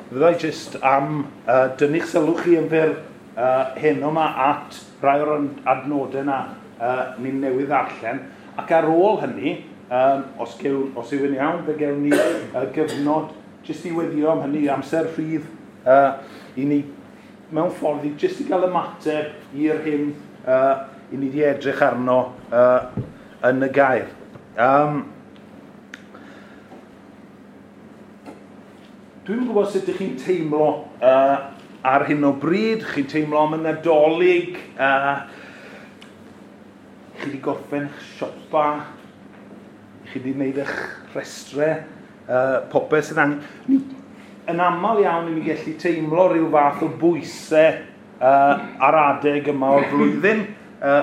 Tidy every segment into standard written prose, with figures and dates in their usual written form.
Fyddai jyst am dynnu'ch sylw chi yn fyr heno yma at rai o'r adnodau yna ni'n newydd ddarllen. Ac ar ôl hynny, os yw'n iawn, fe gewn ni gyfnod jyst i weddio am hynny, amser rhydd i ni mewn ffordd i jyst i gael ymateb i'r hyn i ni wedi edrych arno yn y gair. Dwi'm yn gwybod sut ydych chi'n teimlo ar hyn o bryd. Chi'n teimlo am y Nadolig, chi wedi gorffen siopa, chi wedi gwneud eich rhestrau, popeth sydd angen. Yn aml iawn i ni gallu teimlo rhyw fath o bwysau ar adeg yma o'r flwyddyn,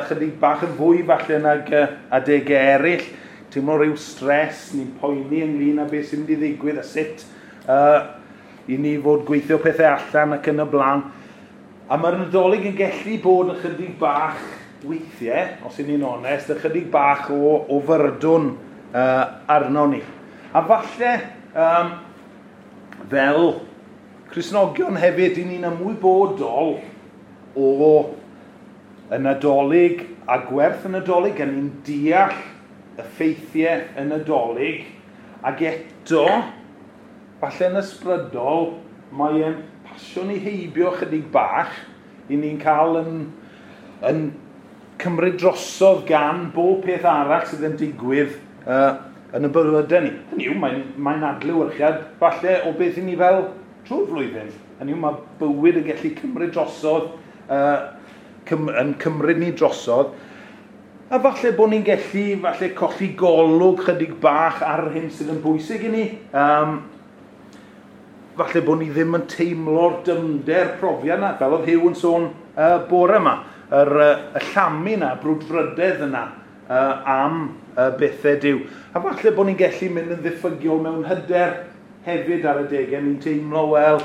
chydig bach yn fwy falle nag adegau eraill. Teimlo rhyw stres, ni'n poeni ynglyn â beth sy'n mynd i ddigwydd a sut i ni fod gweithio pethau allan ac yn y blaen. A mae'r Nadolig yn gallu bod yn chydig bach weithiau, os ydyn ni'n onest, ychydig bach o fyrdwn arno ni. A falle, fel Cristnogion hefyd, i ni'n ymwybodol o y Nadolig a gwerth y Nadolig, a ni'n deall y ffeithiau y Nadolig, ac eto, falle yn ysbrydol, mae e'n pasio ni heibio chydig bach, i ni'n cael yn cymryd drosodd gan bob peth arall sydd yn digwydd yn y bywydau ni. Hynny yw, mae'n adlewyrchiad falle o beth i ni fel trwy'r flwyddyn. Hynny yw, mae bywyd yn gallu cymryd drosodd, yn cymryd ni drosodd. A falle bod ni'n gallu falle colli golwg chydig bach ar yr hyn sydd yn bwysig i ni. Falle bod ni ddim yn teimlo'r dyfnder profiad yna, fel oedd Huw yn sôn bore yma, y llamu yna, brwdfrydedd yna am bethau Duw. A falle bod ni'n gallu mynd yn ddiffygiol mewn hyder hefyd ar adegau, ni'n teimlo, wel,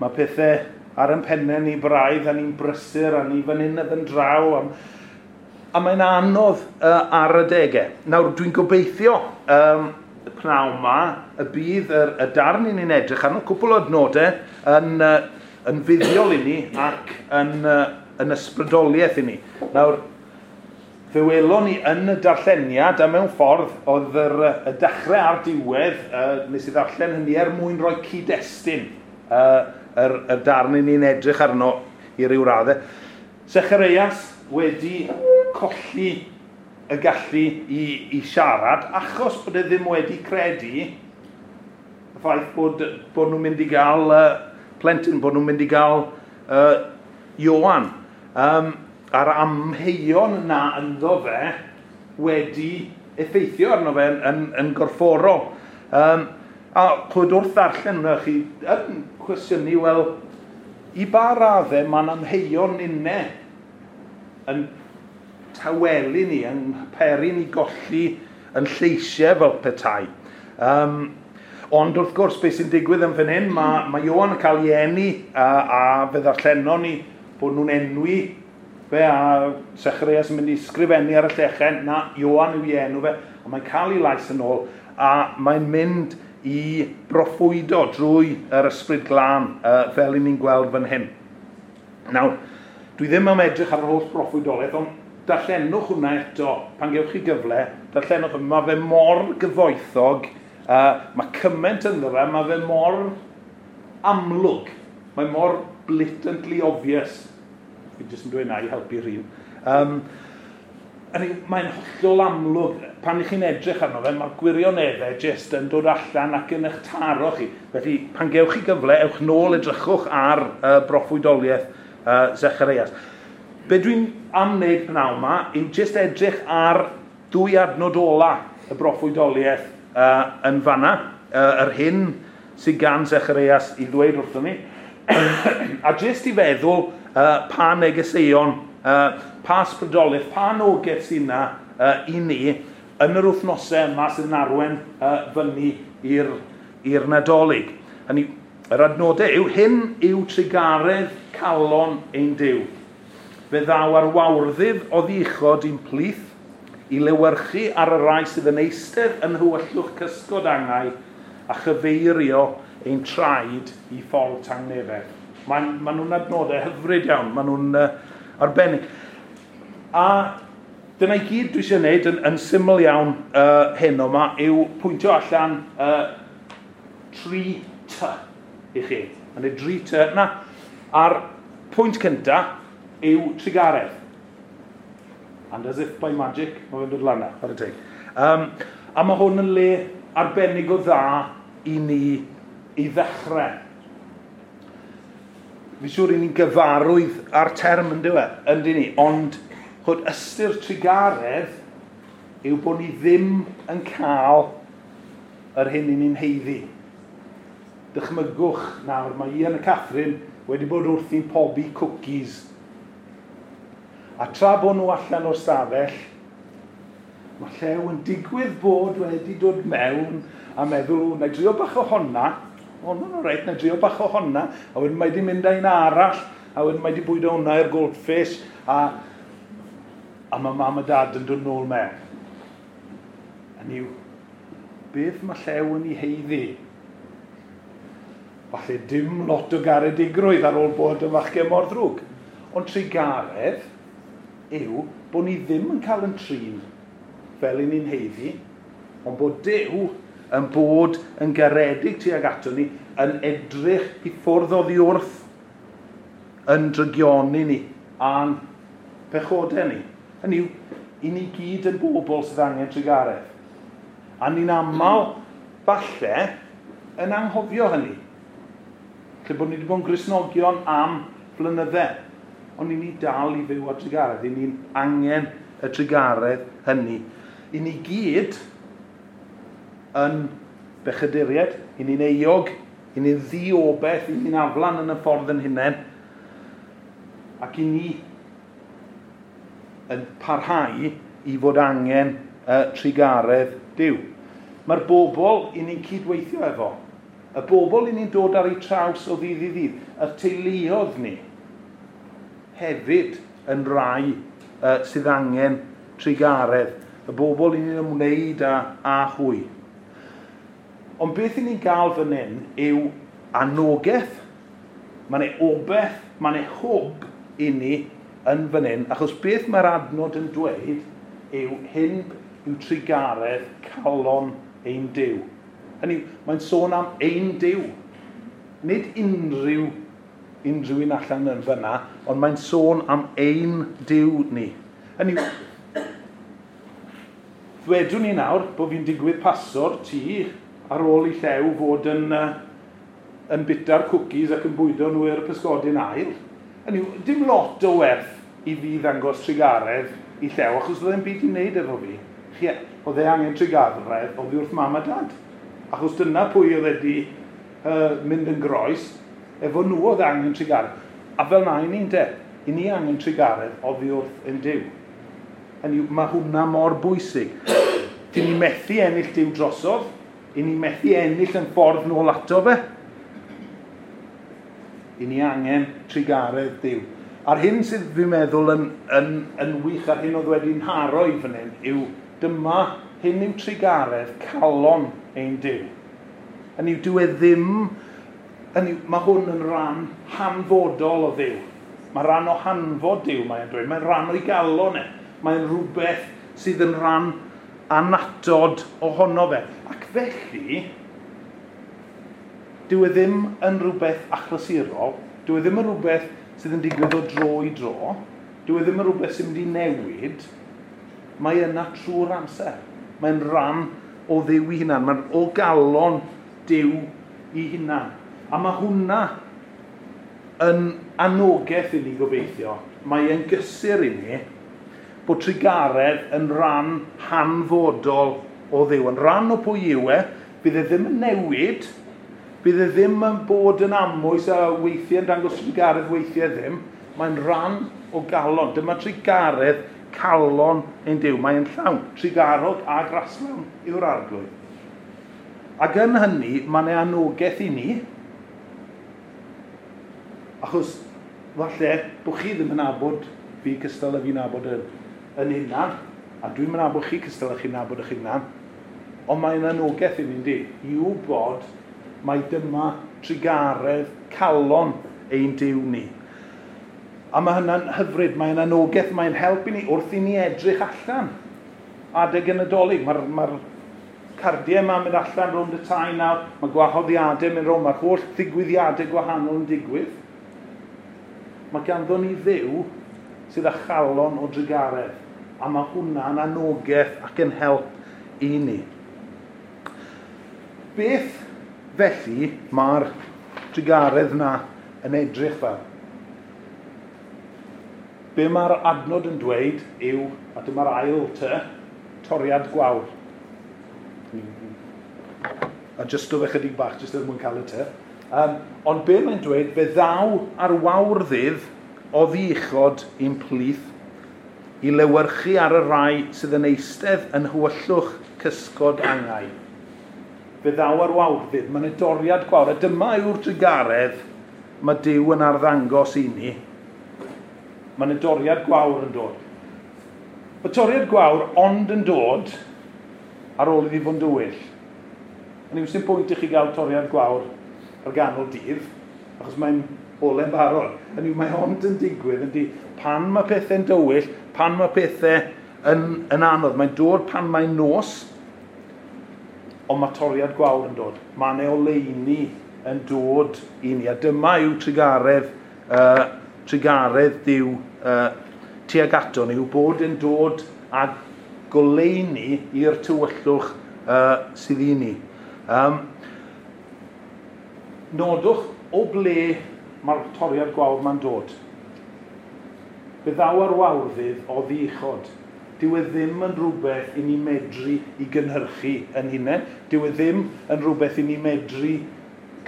mae pethau ar ein pennau ni braidd, a ni'n brysur, a ni fan hyn a fan draw, a mae'n anodd ar adegau. Nawr, dwi'n gobeithio y pnawn yma, y bydd y darn i ni'n edrych arno, cwpl o adnodau yn fuddiol i ni ac yn ysbrydoliaeth i ni. Nawr, fe welon ni yn y darlleniad, a mewn ffordd oedd y dechrau a'r diwedd, nes i ddarllen hynny er mwyn rhoi cyd-destun y darn i ni'n edrych arno i ryw raddau. Sechareias wedi colli y gallu i siarad, achos bod e ddim wedi credu y ffaith bod nhw'n mynd i gael plentyn, bod nhw'n mynd i gael Ioan. A'r amheuon na ynddo fe wedi effeithio arno fe yn gorfforol. A chwyd wrth ddarllen hwnna, chi yn cwestiynu, wel, i ba raddau mae'n amheuon ninne yn tawelu ni, yn peri ni golli yn lleisiau fel petai. Ond wrth gwrs, beth sy'n digwydd yn fan hyn, mae Ioan yn cael ei eni a fe ddarllenon ni bod nhw'n enwi fe a Sechareias yn mynd i sgrifennu ar y llechen, na, Ioan yw ei enw fe, a mae'n cael ei lais yn ôl, a mae'n mynd i broffwydo drwy yr Ysbryd Glân, fel i ni'n gweld fan hyn. Nawr, dwi ddim am edrych ar yr holl broffwydoliaeth, ond darllenwch hwnna eto, pan gewch chi gyfle, darllenwch, mae fe mor gyfoethog, mae cymaint ynddo fe, mae fe mor amlwg, mae mor blatantly obvious. Fi jyst yn dweud na i helpu rhywun. Mae'n hollol amlwg, pan ych chi'n edrych arno fe, mae'r gwirioneddau jyst yn dod allan ac yn eich taro chi. Felly, pan gewch chi gyfle, ewch nôl edrychwch ar broffwydoliaeth Sechareias. Be dwi'n am wneud pnawn yma yw jyst edrych ar dwy adnod ola y broffwydoliaeth yn fanna, yr hyn sydd gan Sechareias i ddweud wrthon ni, a jyst i feddwl pa negeseuon, pa ysbrydoliaeth, pa anogaeth sydd yna i ni yn yr wythnosau yma sydd yn arwain fyny i'r Nadolig. Hynny, yr adnodau yw, hyn yw trugaredd calon ein Duw. Fe ddaw ar wawrddydd oddi uchod i'n plith, i lewyrchu ar y rai sydd yn eistedd yn nhywyllwch cysgod angau a chyfeirio ein traed i ffordd tangnefedd. Maen nhw'n adnodau hyfryd iawn, maen nhw'n arbennig. A dyna i gyd dwi eisiau gwneud yn syml iawn heno yma yw pwyntio allan 3 T i chi. Mae'n ei 3 T na. A'r pwynt cyntaf yw trugaredd. And as if by magic, mae fe'n dod lan na, chwarae teg. A mae hwn yn le arbennig o dda i ni i ddechrau. Fi'n siŵr i ni'n gyfarwydd â'r term yn dyw e, yndyn ni, ond chod ystyr trugaredd yw bod ni ddim yn cael yr hyn i ni'n haeddu. Dychmygwch nawr, mae Ian a Catherine wedi bod wrthi'n pobi cookies. A tra bod nhw allan o'r stafell, mae Llew yn digwydd bod wedi dod mewn a meddwl, na i drio bach o honna, o, no, no, reit, na i drio bach o honna, a wedyn mae di mynd â un arall, a wedyn mae di bwydo hwnna i'r goldfish, a mae mam a dad yn dod nôl mewn. Hynny yw, beth mae Llew yn ei haeddu? Falle dim lot o garedigrwydd ar ôl bod yn fachgen mor ddrwg. Ond trugaredd yw bod ni ddim yn cael yn trin fel i ni'n haeddu, ond bod Duw yn bod yn garedig tuag ato ni, yn edrych i ffwrdd oddi wrth yn drygioni ni a'n pechodau ni. Hynny yw, i ni gyd yn bobl sydd angen trugaredd. A ni'n aml, falle, yn anghofio hynny. Lle bod ni wedi bod yn Gristnogion am flynydde. Ond i ni dal i fyw ar trugaredd. I ni'n angen y trugaredd hynny. I ni gyd yn bechaduriaid, i ni'n euog, i ni'n ddiobeth, i ni'n aflan yn y ffordd yn hunain. Ac i ni yn parhau i fod angen trugaredd Duw. Mae'r bobl i ni'n cydweithio efo, y bobl i ni'n dod ar eu traws o ddydd i ddydd, y teuluoedd ni, hefyd yn rai sydd angen trugaredd, y bobl i ni'n ymwneud â hwy. Ond beth i ni'n gael fan hyn yw anogaeth, mae'n ei obaith, mae'n ei hwb i ni yn fan hyn, achos beth mae'r adnod yn dweud yw hyn yw trugaredd calon ein Duw. Hynny yw, mae'n sôn am ein Duw. Nid unrhyw un allan yn fyna, ond mae'n sôn am ein Duw ni. Hynny yw, ddwedwn ni nawr bod fi'n digwydd paso'r tŷ ar ôl i Llew fod yn bita'r cookies ac yn bwydo nhw i'r pysgodyn ail. Hynny yw, dim lot o werth i fi ddangos trugaredd i Llew, achos oedd e'n byd i wneud efo fi. Oedd e angen trugaredd oddi wrth mam a dad. Achos dyna pwy oedd wedi mynd yn groes, efo nhw oedd angen trugaredd. A fel na i ni'n de, i ni angen trugaredd oddi wrth ein Duw. Hynny yw, mae hwnna mor bwysig. Dyn ni methu ennill Duw drosodd, i ni methu ennill yn ffordd nôl ato fe. I ni angen trugaredd Duw. A'r hyn sydd fi'n meddwl yn wych a'r hyn oedd wedi'n nharo i fan hyn yw dyma hyn yw trugaredd calon ein Duw. Hynny yw, dyw e ddim, hynny yw, mae hwn yn rhan hanfodol o Dduw. Mae rhan o hanfod Duw, mae'n dweud. Mae'n rhan o'i galon e. Mae'n rhywbeth sydd yn rhan annatod ohono fe. Ac felly, dyw e ddim yn rhywbeth achlysurol, dyw e ddim yn rhywbeth sydd yn digwydd o dro i dro, dyw e ddim yn rhywbeth sy'n mynd i newid, mae yna trwy'r amser. Mae'n rhan o Dduw ei hunan, mae'n o galon Duw ei hunan. A mae hwnna yn anogaeth i ni gobeithio. Mae e'n gysur i ni bod trugaredd yn rhan hanfodol o Dduw. Yn rhan o pwy yw e, bydd e ddim yn newid, bydd e ddim yn bod yn amwys a weithiau yn dangos trugaredd, weithiau ddim. Mae'n rhan o galon. Dyma trugaredd calon ein Duw. Mae'n llawn. Trugarog a graslawn yw'r Arglwydd. Ac yn hynny, mae'n ei anogaeth i ni, achos falle bod chi ddim yn nabod fi cystal a fi'n nabod yn hunan, a dwi'n yn nabod chi cystal a chi'n nabod eich hunan, ond mae'n anogaeth i ni'n di, i wybod Mae dyma trugaredd calon ein Duw ni. A mae hynna'n hyfryd, mae'n anogaeth, mae'n helpu ni wrth i ni edrych allan adeg y Nadolig. Mae'r cardiau yma'n mynd allan rownd y tai nawr, mae gwahoddiadau mynd rownd, mae'r holl ddigwyddiadau gwahanol yn digwydd. Mae ganddo ni Dduw sydd â chalon o drugaredd, a mae hwnna'n anogaeth ac yn help i ni. Beth felly mae'r trugaredd na yn edrych fel? Be mae'r adnod yn dweud yw, a dyma'r ail ty, toriad gwawr. A jyst o fe chydig bach, jyst er mwyn cael y ty. Ond be mae'n dweud, fe ddaw ar wawrddydd oddi uchod i'n plith i lewyrchu ar y rai sydd yn eistedd yn hywyllwch cysgod angau. Fe ddaw ar wawrddydd, mae'n y doriad gwawr, a dyma yw'r trugaredd mae Duw yn arddangos i ni. Mae'n y doriad gwawr yn dod. Mae toriad gwawr ond yn dod ar ôl iddi fod yn dywyll. Yn yw sy'n pwynt i chi gael toriad gwawr ar ganol dydd, achos mae'n ole'n barod. Yn yw mae ond yn digwydd ydy pan mae pethau'n dywyll, pan mae pethau yn anodd. Mae'n dod pan mae'n nos, ond mae toriad gwawr yn dod. Mae yna oleuni yn dod i ni. A dyma yw trugaredd Duw tuag ato ni, yw bod yn dod â goleuni i'r tywyllwch sydd i ni. Nodwch o ble mae'r toriad gwawr ma'n dod. Fe ddaw ar wawrddydd oddi uchod. Dyw e ddim yn rhywbeth i ni medru i gynhyrchu yn hunain. Dyw e ddim yn rhywbeth i ni medru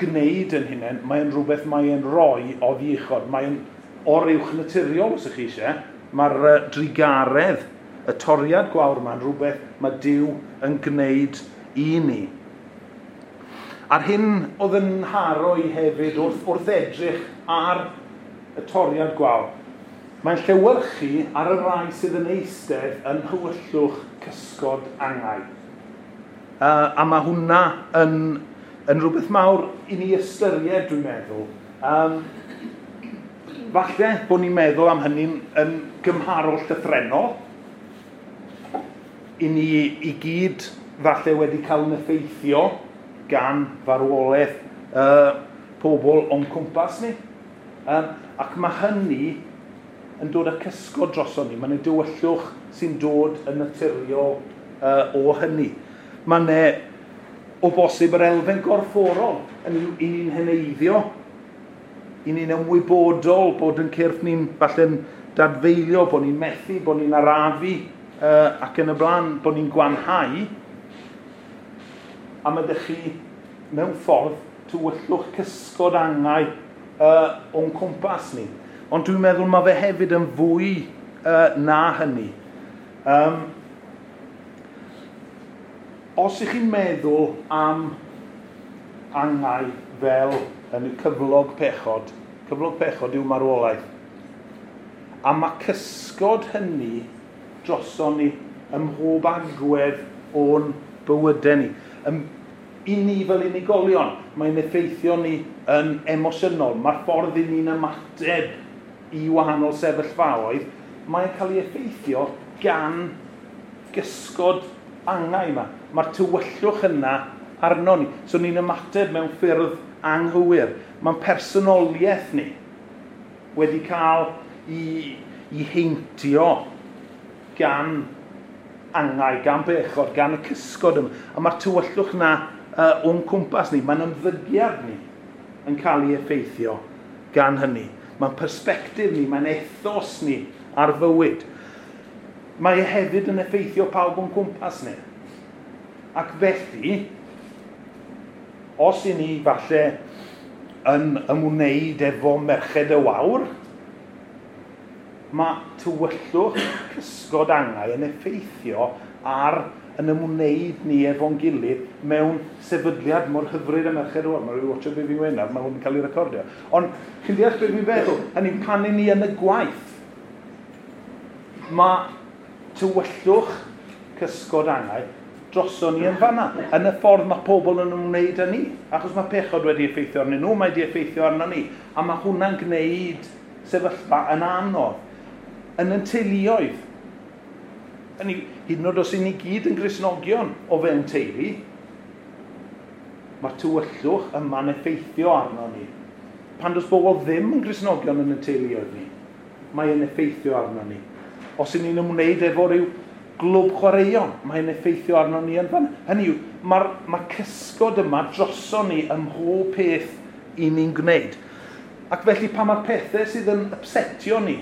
gwneud yn hunain. Mae'n rhywbeth mae'n rhoi oddi uchod. Mae'n oruwch naturiol, os ych chi eisiau. Mae'r drugaredd, y toriad gwawr yma'n rhywbeth mae Duw yn gwneud i ni. A'r hyn oedd yn haro i hefyd wrth edrych ar y toriad gwawr, mae'n llewyrchu ar y rai sydd yn eistedd yn hywyllwch cysgod angau. A mae hwnna yn rhywbeth mawr i ni ystyried, dwi'n meddwl. Falle bod ni'n meddwl am hynny'n yn gymharol llythrennol. I ni i gyd falle wedi cael yn effeithio gan farwolaeth pobl o'n cwmpas ni. Ac mae hynny yn dod â cysgod droson ni. Mae'n dywyllwch sy'n dod yn naturiol o hynny. Mae'n o bosib yr elfen gorfforol yn i ni'n heneiddio, i ni'n ymwybodol bod yn cyrff ni'n falle'n dadfeilio, bod ni'n methu, bod ni'n arafu ac yn y blaen, bod ni'n gwanhau. A mae ydych chi mewn ffordd tywyllwch cysgod angau o'n cwmpas ni. Ond dwi'n meddwl mae fe hefyd yn fwy na hynny. Os ych chi'n meddwl am angau fel yn y cyflog pechod yw marwolaeth. A mae cysgod hynny droson ni ym mhob agwedd o'n bywydau ni. I ni fel unigolion, mae'n effeithio ni yn emosiynol. Mae'r ffordd i ni'n ymateb i wahanol sefyllfaoedd, mae'n cael ei effeithio gan gysgod angau yma. Mae'r tywyllwch yna arno ni. So ni'n ymateb mewn ffyrdd anghywir. Mae'n personoliaeth ni wedi cael i heintio gan angau, gan bechod, gan y cysgod yma. A mae'r tywyllwch yna o'n cwmpas ni, mae'n ymddygiad ni yn cael ei effeithio gan hynny. Mae'n persbectif ni, mae'n ethos ni ar fywyd. Mae e hefyd yn effeithio pawb o'n cwmpas ni. Ac felly, os i ni falle yn ymwneud efo Merched y Wawr, mae tywyllwch cysgod angau yn effeithio ar yn ymwneud ni efo'n gilydd mewn sefydliad mor hyfryd y Merched y Wawr. Mae rhywun watcho be fi'n gweud nawr, mae hwn yn cael ei recordio. Ond chi'n deall beth fi'n feddwl? Hynny, pan i ni yn y gwaith, mae tywyllwch cysgod angau droson ni yn fanna, yn y ffordd mae pobl yn ymwneud â ni. Achos mae pechod wedi effeithio arnyn nhw, mae wedi effeithio arno ni. A mae hwnna'n gwneud sefyllfa yn anodd. Yn yn teuluoedd. Hynny, hyd yn oed os y'n ni gyd yn Gristnogion o fewn teulu, mae'r tywyllwch yma'n effeithio arno ni. Pan does bobl ddim yn Gristnogion yn y teuluoedd ni, mae'n effeithio arno ni. Os y'n ni'n ymwneud efo rhyw glwb chwaraeon, mae'n effeithio arno ni yn fan. Hynny yw, mae cysgod yma droson ni ym mhob peth i ni'n gwneud. Ac felly pan mae'r pethau sydd yn upsetio ni,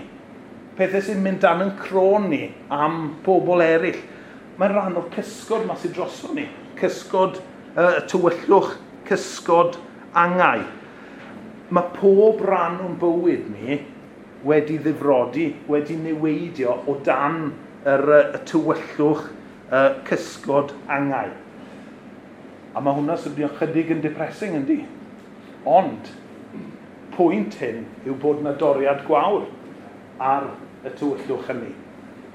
pethau sy'n mynd dan yn crôn ni am bobl eraill, mae'n rhan o'r cysgod yma sydd droson ni. Cysgod tywyllwch, cysgod angau. Mae pob rhan o'n bywyd ni wedi ddifrodi, wedi niweidio o dan y tywyllwch cysgod angau. A mae hwnna swnio chydig yn depressing, yndi? Ond, pwynt hyn yw bod yna doriad gwawr ar y tywyllwch hynny.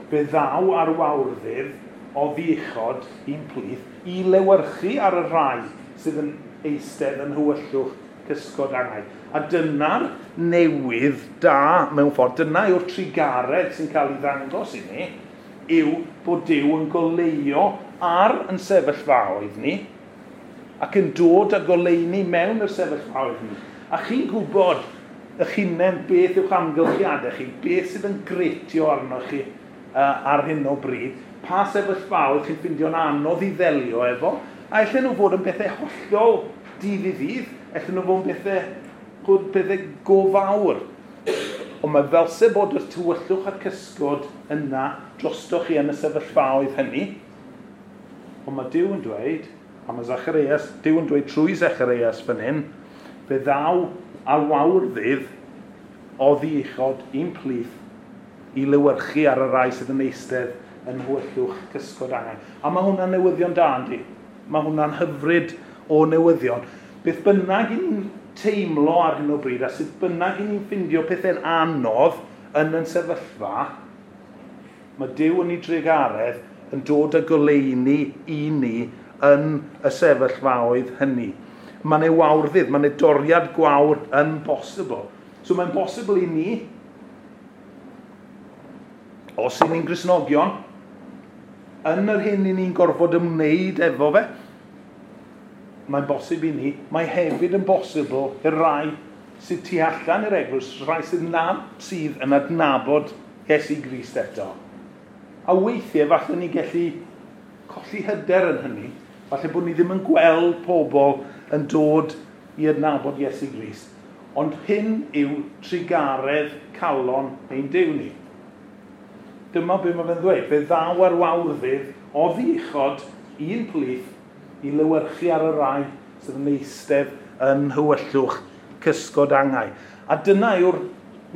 Fe ddaw ar wawrddydd o ddichod i'n plith i lewyrchu ar y rhai sydd yn eistedd yn hywyllwch cysgod angau. A dyna'r newydd da mewn ffordd, dyna yw'r trugaredd sy'n cael ei ddangos i ni, yw bod Duw yn goleuo ar yn sefyllfaoedd ni ac yn dod â goleuni mewn yr sefyllfaoedd ni. A chi'n gwybod eich hunain beth yw'ch amgylchiadau chi, beth sydd yn gretio arnoch chi ar hyn o bryd, pa sefyllfaoedd chi'n ffeindio'n anodd i ddelio efo, a allan nhw fod yn bethau hollol dydd i ddydd, allan nhw fod yn bethau go fawr. Ond mae fel se bod y tywyllwch a'r cysgod yna drostoch chi yn y sefyllfaoedd hynny. Ond mae Duw yn dweud, a mae Zacharias, Duw yn dweud trwy Zacharias fan hyn, fe ddaw ar wawrddydd o ddichod i'n plith i lewyrchu ar y rai sydd yn eistedd yn hwyllwch cysgod angau. A mae hwnna'n newyddion da, yndi? Mae hwnna'n hyfryd o newyddion. Beth bynnag i ni'n teimlo ar hyn o bryd, a sut bynnag i ni'n ffindio pethau'n anodd yn yn sefyllfa, mae Duw yn ei drugaredd yn dod â goleuni i ni yn y sefyllfaoedd hynny. Mae'n ei wawrddydd, mae'n ei doriad gwawr yn bosibl. So mae'n bosibl i ni, os i ni'n Gristnogion, yn yr hyn i ni'n gorfod ymwneud efo fe, mae'n bosib i ni, mae hefyd yn bosibl i'r rai sydd tu allan i'r eglwys, rhai sydd nad sydd yn adnabod Iesu Grist eto. A weithiau falle ni gallu colli hyder yn hynny, falle bod ni ddim yn gweld pobl yn dod i adnabod Iesu Grist. Ond hyn yw trugaredd calon ein Duw ni. Dyma be mae fe'n ddweud. Fe ddaw ar wawrddydd o ddichod un plith i lewyrchu ar y rai sydd yn eistedd yn hywyllwch cysgod angau. A dyna yw'r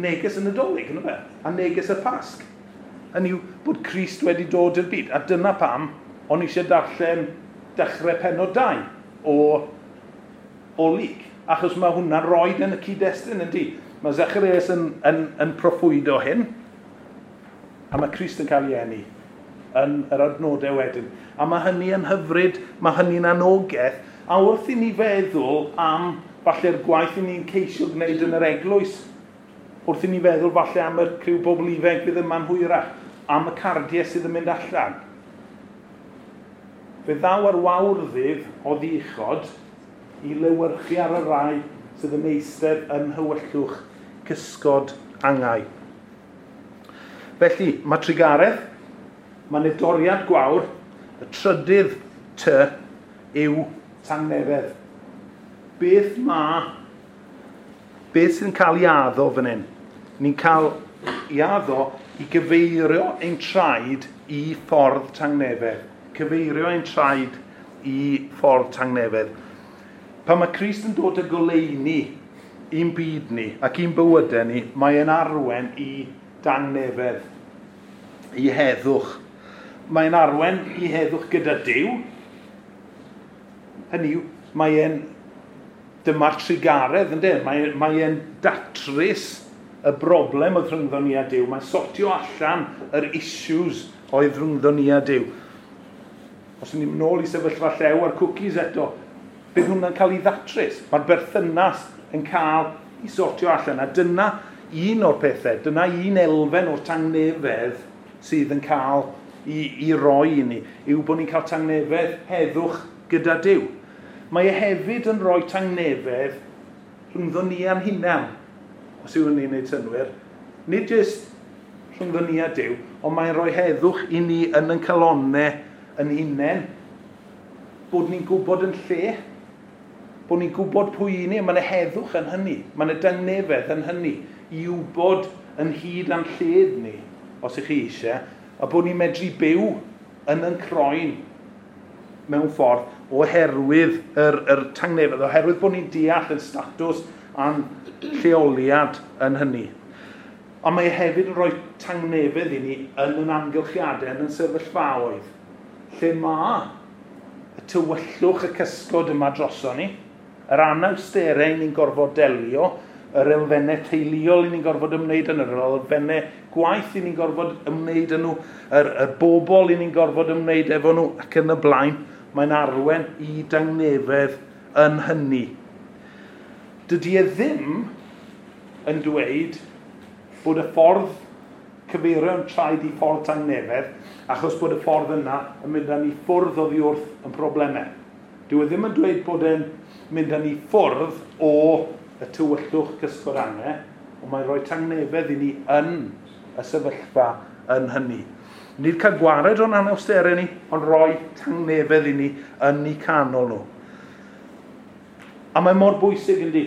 neges y Nadolig, yna fe? A neges y Pasg. Hynny yw bod Crist wedi dod i'r byd. A dyna pam o'n eisiau darllen dechrau pennod 2 o Luc. Achos mae hwnna'n roed yn y cyd-destun, yndi? Mae Zacharias yn proffwydo hyn, a mae Crist yn cael ei eni yn yr adnodau wedyn. A mae hynny yn hyfryd, mae hynny'n anogaeth, a wrth i ni feddwl am falle'r gwaith i ni'n ceisio gwneud yn yr eglwys, wrth i ni feddwl falle am y criw bobl ifanc fydd yma'n hwyrach, am y cardiau sydd yn mynd allan. Fe ddaw ar wawrddydd o ddichod i lewyrchu ar y rai sydd yn eistedd yn hywyllwch cysgod angau. Felly, mae trugaredd, mae nedoriad gwawr, y trydydd ty yw tangnefedd. Beth sy'n cael ei addo fan hyn? Ni'n cael ei addo i gyfeirio ein traed i ffordd tangnefedd. Cyfeirio ein traed i ffordd tangnefedd. Pan mae Crist yn dod â goleuni i'n byd ni ac i'n bywydau ni, mae'n arwen i dangnefedd, i heddwch. Mae'n arwen i heddwch gyda Duw. Hynny yw, mae'n dyma'r trugaredd, ynddo? Mae'n datrys y broblem oedd rhyngddo ni a Duw. Mae'n sortio allan yr issues oedd rhyngddo ni a Duw. Os ni'n mynd nôl i sefyllfa Llew a'r cwcis eto, bydd hwnna'n cael ei ddatrys. Mae'r berthynas yn cael ei sortio allan. A dyna un o'r pethau, dyna un elfen o'r tangnefedd sydd yn cael i roi i ni, yw bod ni'n cael tangnefedd heddwch gyda Duw. Mae e hefyd yn rhoi tangnefedd rhyngddo ni a'n hunan, os yw hynny'n gwneud synnwyr. Nid jyst rhyngddo ni a Duw, ond mae'n rhoi heddwch i ni yn ein calonnau yn hunain. Bod ni'n gwybod yn lle, bod ni'n gwybod pwy i ni, mae yna heddwch yn hynny, mae yna dangnefedd yn hynny, i wybod yn hyd a'n lled ni, os ych chi eisiau, a bod ni'n medru byw yn ein croen mewn ffordd oherwydd yr tangnefedd, oherwydd bod ni'n deall yn statws a'n lleoliad yn hynny. Ond mae e hefyd yn rhoi tangnefedd i ni yn yn amgylchiadau, yn yn sefyllfaoedd, lle mae y tywyllwch y cysgod yma droson ni, yr anawsterau ni'n gorfod delio, yr elfennau teuluol i ni'n gorfod ymwneud yn, yr elfennau gwaith i ni'n gorfod ymwneud yn nhw, yr bobl i ni'n gorfod ymwneud efo nhw, ac yn y blaen, mae'n arwen i dangnefedd yn hynny. Dydy e ddim yn dweud bod y ffordd cyfeirio'n traed i ffordd tangnefedd, achos bod y ffordd yna yn mynd â ni ffwrdd oddi wrth yn problemau. Dyw e ddim yn dweud bod e'n mynd â ni ffwrdd o y tywyllwch cysgod angau, ond mae'n rhoi tangnefedd i ni yn y sefyllfa yn hynny. Nid cael gwared o'n anawsterau ni, ond rhoi tangnefedd i ni yn eu canol nhw. A mae mor bwysig yndi,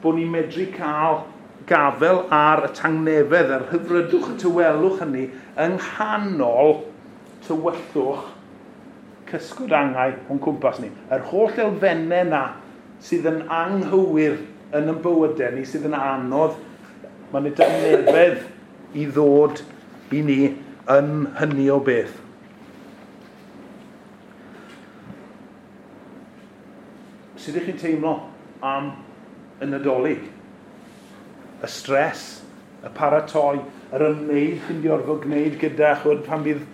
bod ni'n medru cael gafel ar y tangnefedd, yr hyfrydwch, y tywelwch hynny, yng nghanol tywyllwch cysgod angau o'n cwmpas ni. Yr holl elfennau na sydd yn anghywir yn ein bywydau ni, sydd yn anodd, mae'n ei dangnefedd i ddod i ni yn hynny o beth. Sut ydych chi'n teimlo am y Nadolig? Y stres, y paratoi, yr ymwneud chi'n di orfod gwneud gyda, chwyd, pan bydd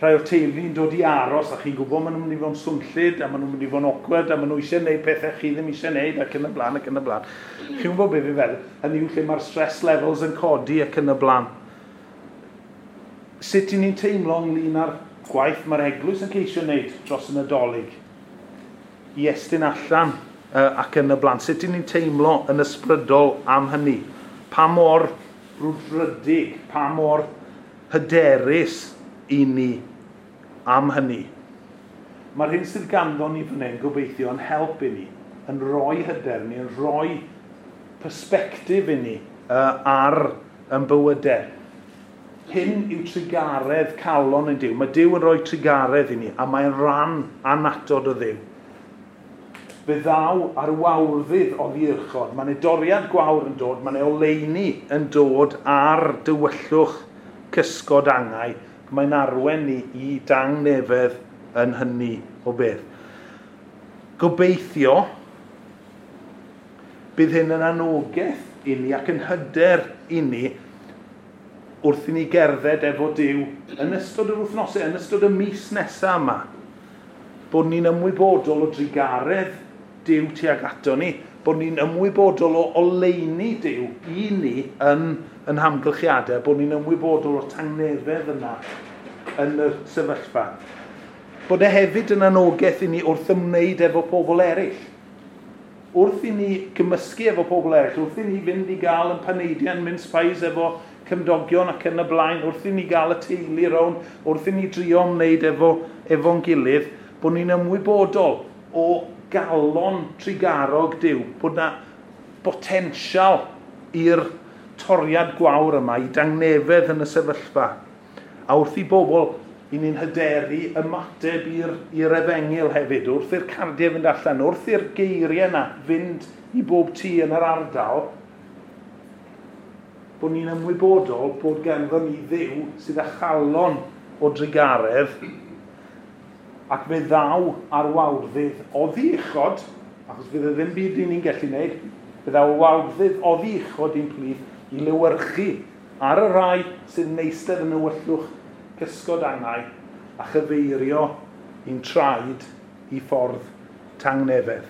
rhai o'r teulu'n dod i aros a chi'n gwybod maen nhw'n mynd i fod yn swnllyd a maen nhw'n mynd i fod yn awkward a maen nhw eisiau gwneud pethau chi ddim eisiau gwneud ac yn y blaen ac yn y blaen. Chi'n gwybod beth fi'n feddwl? Hynny yw lle mae'r stress levels yn codi ac yn y blaen. Sut i ni'n teimlo ynglyn â'r gwaith mae'r eglwys yn ceisio wneud dros y Nadolig? I estyn allan ac yn y blaen. Sut i ni'n teimlo yn ysbrydol am hynny? Pa mor brwdfrydig, pa mor hyderus i ni am hynny. Mae'r hyn sydd ganddo ni fan hyn gobeithio yn help i ni, yn rhoi hyder ni, yn rhoi persbectif i ni ar yn bywydau. Hyn yw trugaredd calon yn Duw. Mae Duw yn rhoi trugaredd i ni, a mae'n rhan annatod o Dduw. Fe ddaw ar wawrddydd oddi uchod. Mae'n ei doriad gwawr yn dod, mae'n ei oleuni yn dod ar dywyllwch cysgod angau. Mae'n arwen ni i dangnefedd yn hynny o beth. Gobeithio bydd hyn yn anogaeth i ni ac yn hyder i ni wrth i ni gerdded efo Duw yn ystod yr wythnosau, yn ystod y mis nesaf yma, bod ni'n ymwybodol o drugaredd Duw tuag ato ni, bod ni'n ymwybodol o oleuni Duw i ni yn hamgylchiadau, bod ni'n ymwybodol o'r tangnefedd yna yn y sefyllfa. Bod e hefyd yn anogaeth i ni wrth ymwneud efo pobl eraill. Wrth i ni gymysgu efo pobl eraill, wrth i ni fynd i gael yn paneidiau, yn mince pies efo cymdogion ac yn y blaen, wrth i ni gael y teulu rownd, wrth i ni drio ymwneud efo'n gilydd, bod ni'n ymwybodol o galon trugarog Duw, bod na potensial i'r toriad gwawr yma, i dangnefedd yn y sefyllfa. A wrth i bobl, i ni'n hyderu ymateb i'r efengyl hefyd, wrth i'r cardiau fynd allan, wrth i'r geiriau yna fynd i bob tŷ yn yr ardal, bod ni'n ymwybodol bod ganddo ni Dduw sydd â chalon o drugaredd, ac fe ddaw ar wawrddydd oddi uchod, achos fydd e ddim byd i ni'n gallu wneud, fe ddaw wawrddydd oddi uchod i'n plith i lewyrchu ar y rai sydd yn eistedd yn ywyllwch cysgod angau a chyfeirio i'n traed i ffordd tangnefedd.